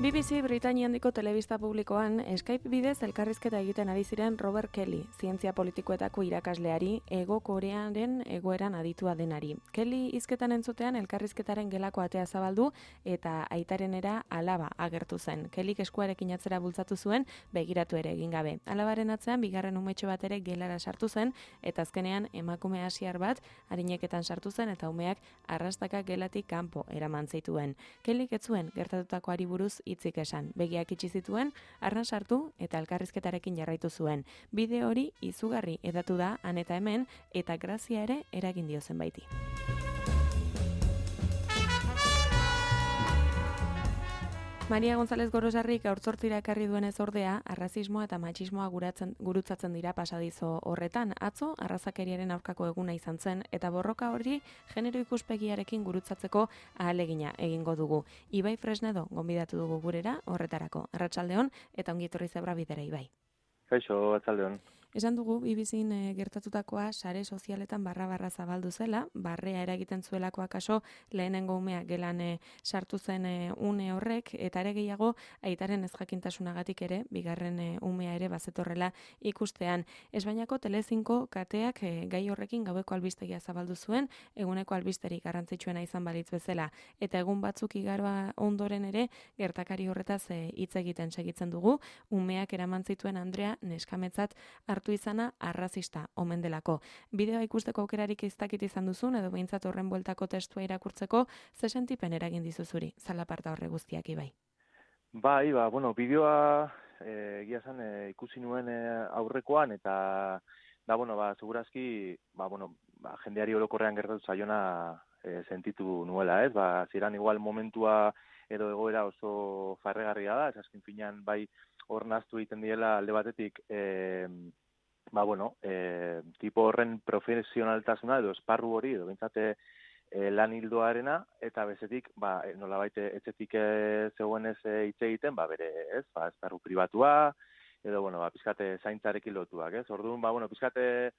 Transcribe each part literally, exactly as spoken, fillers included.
B B C Britainia handiko telebista publikoan Skype bidez elkarrizketa egiten ari ziren Robert Kelly, zientzia politikoetako irakasleari, Hego Korearen egoeran aditua denari. Kelly hizketan entzutean elkarrizketaren gelako atea zabaldu eta aitarenera alaba agertu zen. Kellyk eskuarekin atzera bultzatu zuen, begiratu ere egin gabe. Alabaren atzean bigarren umetxo bat ere gelara sartu zen eta azkenean emakume asiar bat arineketan sartu zen eta umeak arrastaka gelatik kanpo eraman zituen. Kellyk ez zuen gertatutakoari buruz hitzik esan. Begiak itxi zituen, arran sartu eta elkarrizketarekin jarraitu zuen. Bideo hori izugarri edatu da han eta hemen eta grazia ere eragin dio zenbaiti. Maria González Gorosarrik haurtzortzira ekarri duenez ordea, arrazismoa eta matxismoa guratzen, gurutzatzen dira pasadizo horretan. Atzo, arrazakeriaren aurkako eguna izan zen, eta borroka hori genero ikuspegiarekin gurutzatzeko ahalegina egingo dugu. Ibai Fresnedo gonbidatu dugu gurera horretarako. Arratsaldeon eta ongi etorri Zebra Bidera, Ibai. Kaixo, arratsaldeon. Esan dugu, B B Cn e, gertatutakoa sare sozialetan barra-barra zabaldu zela, barrea eragiten zuelako akaso lehenengo umea gelan e, sartu zen e, une horrek, eta ere gehiago aitaren ezjakintasunagatik ere, bigarren e, umea ere bazetorrela ikustean. Espainiako Telecinco kateak e, gai horrekin gaueko albistegia zabaldu zuen, eguneko albisterik garrantzitsuena izan balitz bezala, eta egun batzuk igaroa ondoren ere, gertakari horretaz hitz e, egiten segitzen dugu, umeak eraman zituen Andrea neskametzat hartu izana arrazista omen delako. Bideoa ikusteko aukerarik ez dakit izan duzun edo behintzat horren bueltako testua irakurtzeko ze sentipen eragin dizuzuri zalaparta horre guztiak, Ibai? Bai, ba, bueno, bideoa eh, egia zen eh, ikusi nuen eh, aurrekoan eta da, bueno, ba, segurazki, ba, bueno, ba, jendeari orokorrean gertatu zaiona eh, sentitu nuela, ez? Ba, ziren igual momentua edo egoera oso farregarria da, ez azken finean bai hor naztu egiten diela alde batetik eh, ba, bueno, e, tipo horren profesionaltasuna edo esparru hori, edo bintzate e, lan hildoarena, eta bezetik, ba, nolabait etxetik e, zegoenez hitz egiten, ba, bere, ez, ba, esparru pribatua, edo, bueno, ba, pizkate zaintzarekin lotuak, ez? Orduan, ba, bueno, pizkate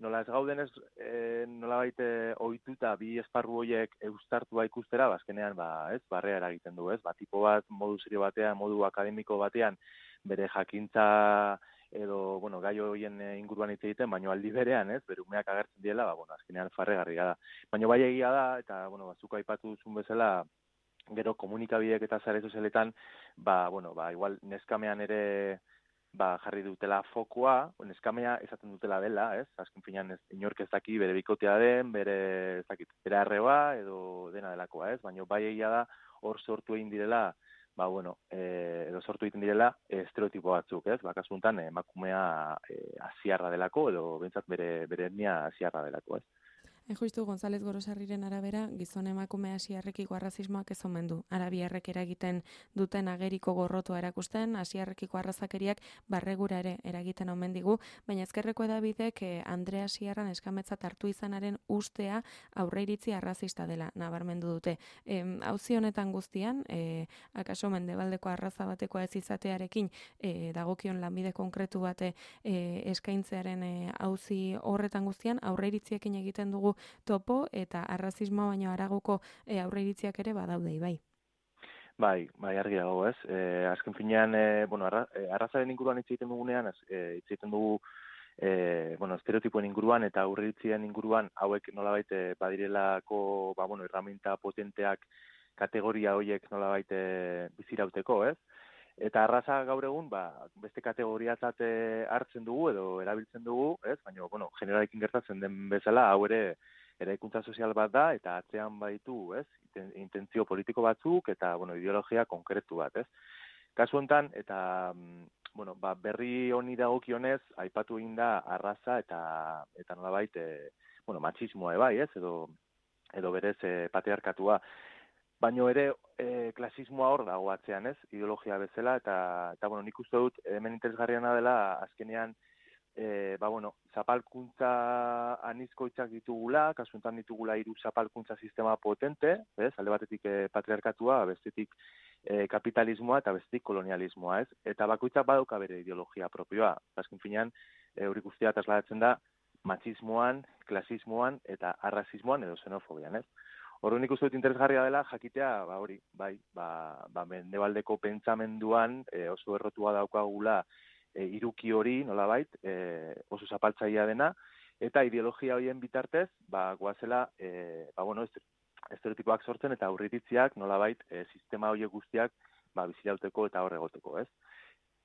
nola ez gaudenez, e, nolabait ohituta bi esparru horiek eustartua ikustera, bazkenean, ba, ez, barrea eragiten du, ez? Ba, tipo bat, modu serio batean, modu akademiko batean, bere jakintza edo, bueno, gai horien inguruan hitz egiten, baino aldi berean, ez, bere umeak agertzen diela, ba, bueno, azkenean farregarria da. Baino bai egia da, eta, bueno, batzuk aipatu duzun bezala, gero komunikabideek eta sare sozialetan, ba, bueno, ba, igual neskamean ere, ba, jarri dutela fokoa, neskamea esaten dutela dela, ez, azken finean ez, inork ez daki bere bikotea den, bere, ez dakit, bere arreba, edo dena delakoa, ez, baino bai egia da, hor sortu egin direla, ba, bueno, e, edo sortu egiten direla estereotipo batzuk, ez? Ba, kasu honetan emakumea e, asiarra delako, edo bentsat bere, bere etnia asiarra delako, ez? Justu González Gorosarriren arabera, gizon emakume asiarrekiko arrazismoak ez omen du. Arabiarrek eragiten duten ageriko gorrotua erakusten, asiarrekiko arrazakeriak barregura ere eragiten omen digu, baina ezkerreko edabidek eh, Andrea Asiarran eskametzat hartu izanaren ustea aurreiritzi arrazista dela nabarmendu dute. E, auzi honetan guztian, e, akaso mendebaldeko arraza batekoa ez izatearekin e, dagokion lanbide konkretu bate e, eskaintzearen e, auzi horretan guztian aurreiritziekin egiten dugu topo eta arrazismoa baino haragoko e, aurreiritziak ere badaude, Ibai. Bai, bai, argi dago, ez? E, azken finean, e, bueno, arra, e, arrazaren inguruan hitz egiten dugunean, e, hitz egiten dugu e, bueno, estereotipoen inguruan eta aurreiritzien inguruan hauek nolabait e, badirelako, ba, bueno, herramienta potenteak kategoria horiek nolabait e, bizirauteko, ez? Eta arraza gaur egun, ba, beste kategoriatzat hartzen dugu edo erabiltzen dugu, ez? Baina, bueno, generalekin gertatzen den bezala, hau ere eraikuntza sozial bat da, eta atzean baitu, ez? Intentzio politiko batzuk eta, bueno, ideologia konkretu bat, ez? Kasu honetan, eta, bueno, ba, berri honi dagokionez, aipatu egin da arraza eta, eta nolabait, e, bueno, matxismoa ebai, ez? Edo, edo berez e, patriarkatua. Baino ere e, klasismoa hor dago atzean, ez? Ideologia bezala, eta, eta bueno, nik uste dut, hemen interesgarriana dela, azkenean, e, ba, bueno, zapalkuntza anizkoitzak ditugula, kasuntan ditugula hiru zapalkuntza sistema potente, ez? Alde batetik e, patriarkatua, bestetik e, kapitalismoa eta bestetik kolonialismoa, ez? Eta bakoitzak badauka bere ideologia propioa. Azken finean, e, hori guztia trasladatzen da, matxismoan, klasismoan eta arrazismoan edo xenofobian, ez? Orduan nik uste dut interesgarria dela jakitea, ba hori, bai, ba, ba mendebaldeko pentsamenduan e, oso errotua daukagula e, iruki hori, nolabait, e, oso zapaltzailea dena, eta ideologia horien bitartez, ba, goazela, e, ba, bueno, estereotipoak sortzen eta aurreiritziak, nolabait, e, sistema horiek guztiak, ba, bizirauteko eta hor egoteko, ez?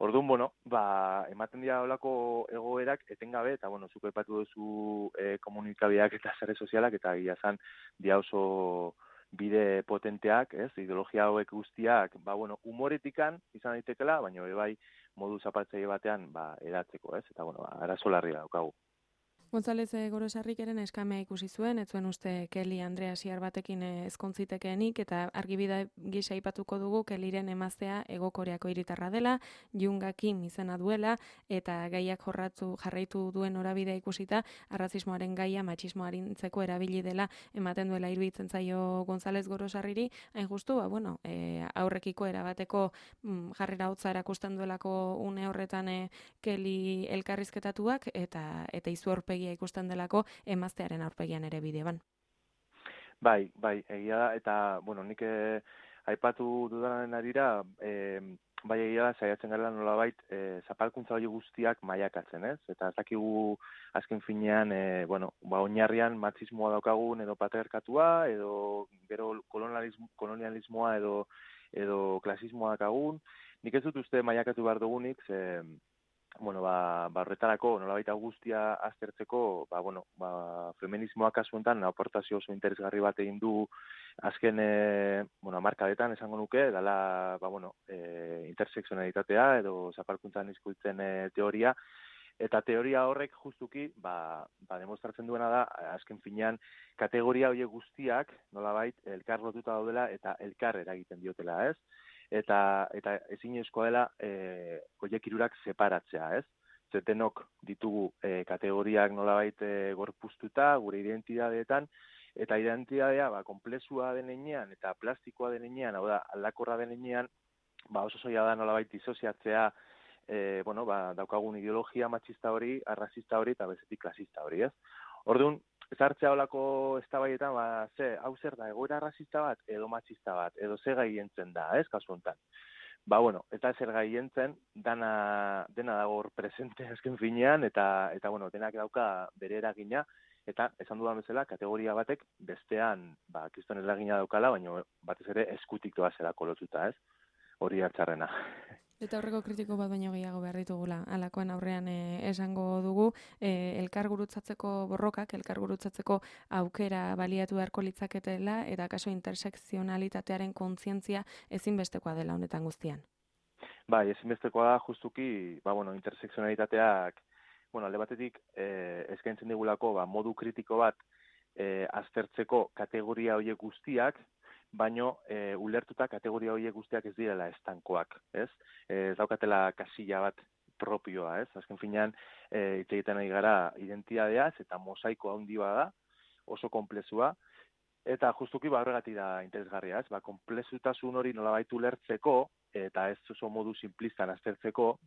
Orduan, bueno, ba, ematen dira olako egoerak etengabe, eta, bueno, zuko epatu duzu e, komunikabideak eta sare sozialak, eta gira zan, dia oso bide potenteak, ez? Ideologia hauek guztiak, ba, bueno, humoretikan izan daitekela, baina bai modu zapatzaile batean, ba, eratzeko, ez? Eta, bueno, arazo larria daukagu. González Gorosarrik eren eskamea ikusi zuen, ez zuen uste Kelly Andrea Siar batekin ezkontzitekeenik, eta argibide gisa aipatuko dugu Kellyren emaztea Hegokoreako hiritarra dela, Junga Kim izena duela, eta gaiak jorratu jarraitu duen norabidea ikusita, arrazismoaren gaia matxismoarintzeko erabili dela ematen duela iruditzen zaio González Gorosarriri, hain justu, ba, bueno, e, aurrekiko erabateko mm, jarrera hotza erakusten duelako une horretan e, Kelly elkarrizketatuak, eta, eta izu aurpegi ikusten delako emaztearen aurpegian ere bideoan. Bai, bai, egia da, eta, bueno, nik eh, aipatu dudanaren arira, eh, bai egia da, saiatzen gara nolabait, eh, zapalkuntza hori guztiak mailakatzen, ez? Eta ez dakigu azken finean, eh, bueno, ba, oinarrian matxismoa daukagun edo patriarkatua, edo gero kolonialismo, kolonialismoa edo, edo klasismoa daukagun. Nik ez dut uste mailakatu behar dugunik, ze, bueno, ba, ba horretarako, nolabait guztia aztertzeko, ba, bueno, ba, feminismoa kasu honetan aportazio oso interesgarri bat egin du azken, e, bueno, hamarkadetan esango nuke, dela, ba, bueno, e, interseksionalitatea edo zapalkuntzan hizkuntzen e, teoria, eta teoria horrek justuki, ba, ba, demostratzen duena da, azken finean, kategoria horiek guztiak, nolabait, elkar lotuta daudela eta elkar eragiten diotela, ez? Eta eta ezinezkoa dela eh horiek hirurak separatzea, ez? Zetenok ditugu e, kategoriak nolabait e, gorpuztuta gure identitateetan, eta identitatea ba konplexua den heinean eta plastikoa den heinean, hau da, aldakorra den heinean, ba oso soila da nolabait disoziatzea e, bueno, ba, daukagun ideologia matxista hori, arrazista hori eta bestetik klasista hori, ez? Orduan, zartzea olako eztabaidetan, ba, ze, hau zer da, egoera arrazista bat, edo matxista bat, edo ze gai entzen da, ez, kasu honetan. Ba, bueno, eta zer gai entzen, dana, dena dago hor presente azken finean, eta, eta, bueno, denak dauka bere eragina, eta, esan dudan bezala, kategoria batek bestean, ba, kriston eragina daukala, baina batez ere eskutik doa zela kolotuta, ez, hori hartzarrena. Eta horreko kritiko bat baino gehiago behar ditugula. Halakoen aurrean e, esango dugu, e, elkar gurutzatzeko borrokak, elkar gurutzatzeko aukera baliatu beharko litzaketela, eta kaso intersekzionalitatearen kontzientzia ezinbestekoa dela honetan guztian. Bai, ezinbestekoa da justuki, ba, bueno, intersekzionalitateak, bueno, alde batetik e, eskaintzen digulako, ba, modu kritiko bat e, aztertzeko kategoria horiek guztiak, baino e, ulertuta kategoria horiek guztiak ez direla estankoak, ez? Ez daukatela kasilla bat propioa, ez? Azken finean, e, hitz egiten ari gara identitateaz eta mosaiko handi da, oso konplexua, eta justuki ba horregatik da interesgarria, ez? Ba, konplexutasun hori nolabait ulertzeko eta ez oso modu simplistan aztertzeko,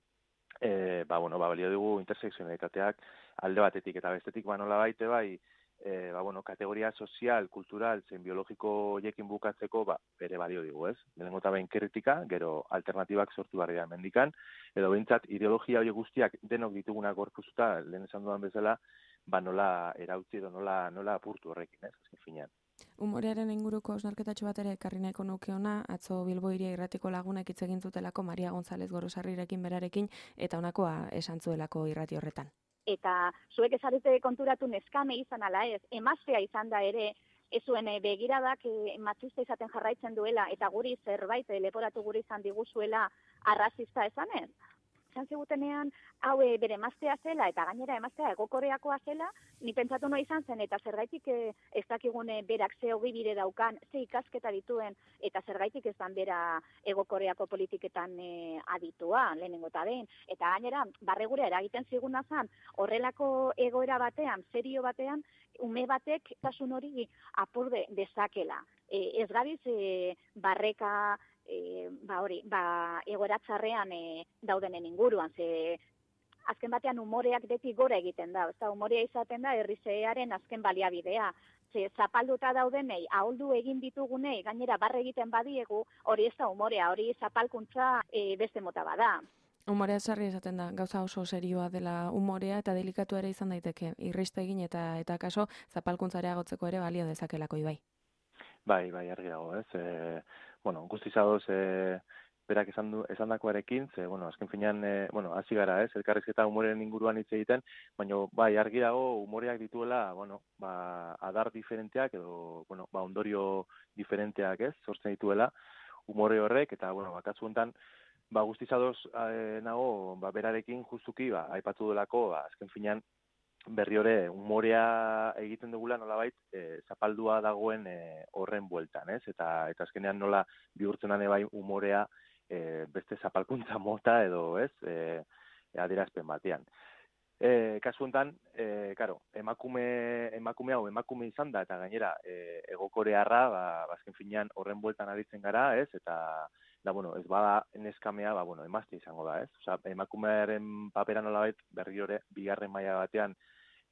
e, ba, bueno, ba, balio dugu intersekzionalitateak alde batetik eta bestetik ba nolabait bai, E, ba, bueno, kategoria sozial, kultural, zein biologiko hiekin bukatzeko, ba, bere balio digu, ez? Lehenengo eta behin kritika, gero alternatibak sortu barria mendikan, edo behintzat ideologia horiek guztiak denok ditugunak gorpuzuta, lehen esan dudan bezala, ba, nola erautzi edo nola, nola apurtu horrekin, ez? Azken finean. Humorearen inguruko osnarketatxo bat ere ekarri nahiko nuke ona, atzo Bilbo Hiria Irratiko lagunek hitz egin zutelako Maria González Gorosarrirekin berarekin, eta honakoa esan zuelako irrati horretan. Eta zuek ezarete konturatu neskame izan ala ez, emaztea izan da ere, ez zuen begiradak e, matxista izaten jarraitzen duela, eta guri zerbait e, leporatu guri izan diguzuela arrazista esan ez. Izan zigutenean, hau e, bere emaztea zela, eta gainera emaztea Hegokoreakoa zela, ni pentsatu no izan zen, eta zergaitik e, ez dakigune berak ze hogi bide daukan, ze ikasketa dituen, eta zergaitik ez dan bera Hegokoreako politiketan e, aditua, lehenengo eta behin. Eta gainera, barregura eragiten ziguna zen, horrelako egoera batean, serio batean, ume batek tasun hori apurde dezakela. E, ez gabiz e, barreka, E, ba hori, ba egoera txarrean e, daudenen inguruan, ze azken batean umoreak beti gora egiten da, ezta umorea izaten da herrizearen azken baliabidea. Ze zapalduta daudenei, ahuldu egin ditugunei, gainera barre egiten badiegu, hori ez da umorea, hori zapalkuntza e, beste mota bada. Umorea sarri esaten da, gauza oso serioa dela umorea eta delikatu ere izan daiteke, irriste egin eta eta kaso zapalkuntza agotzeko ere balio dezakelako Ibai. Bai, bai, argi dago, ez? E, bueno, guztiz adoz, e, berak esan du, esandakoarekin, ze, bueno, azken finean, e, bueno, hasi gara, ez? Elkarrizketa umorearen inguruan hitz egiten, baina, bai, argi dago, umoreak dituela, bueno, ba, adar diferenteak edo, bueno, ba, ondorio diferenteak, ez? Sortzen dituela, umore horrek, eta, bueno, bakatzu honetan, ba, guztiz adoz e, nago, ba, berarekin justuki, ba, aipatu delako, ba, azken finean, berri hori umorea egiten dugula nolabait e, zapaldua dagoen e, horren bueltan, ez? Eta eta azkenean nola bihurtzen ane bai umorea e, beste zapalkuntza mota edo, ez? E, adierazpen batean. E, kasu honetan, e, claro, emakume emakume hau emakume izan da eta gainera e, egokorearra, ba, azken finean horren bueltan aritzen gara, ez? Eta da, bueno, ez bada neskamea, ba, bueno, emazte izango da, ez? Osea, emakumearen papera nolabait berri hori bigarren maila batean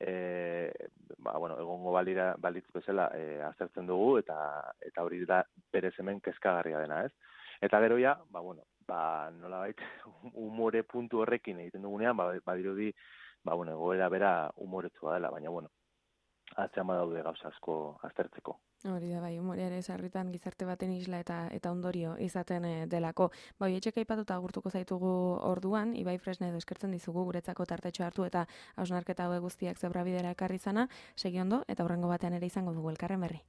E, ba, bueno, egongo balira, balitz bezala e, aztertzen dugu eta eta hori da berez hemen kezkagarria dena, ez? Eta gero ja, ba, bueno, ba, nolabait umore puntu horrekin egiten dugunean, ba, badirudi, ba, bueno, egoera bera umoretsua dela, baina, bueno, atzean badaude gauza asko aztertzeko. Hori da, bai, umorea ere sarritan gizarte baten isla eta eta ondorio izaten e, delako. Bai, etxeka aipatuta agurtuko zaitugu orduan, Ibai Fresnedo eskertzen dizugu guretzako tartetxo hartu eta hausnarketa hauek guztiak zebrabidera ekarri izana, segi ondo eta hurrengo batean ere izango dugu elkarren berri.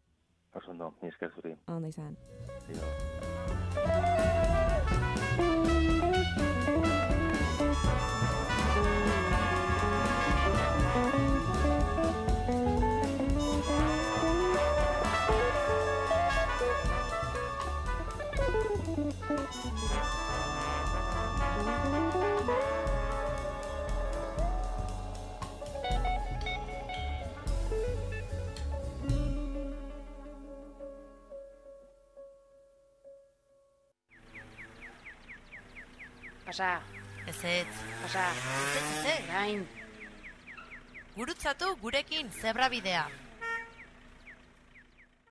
Oso ondo, ni esker zuri. Ondo izan. Pasa. Ez ez. Pasa. Ez ez, ez, gain. Gurutzatu gurekin zebrabidea.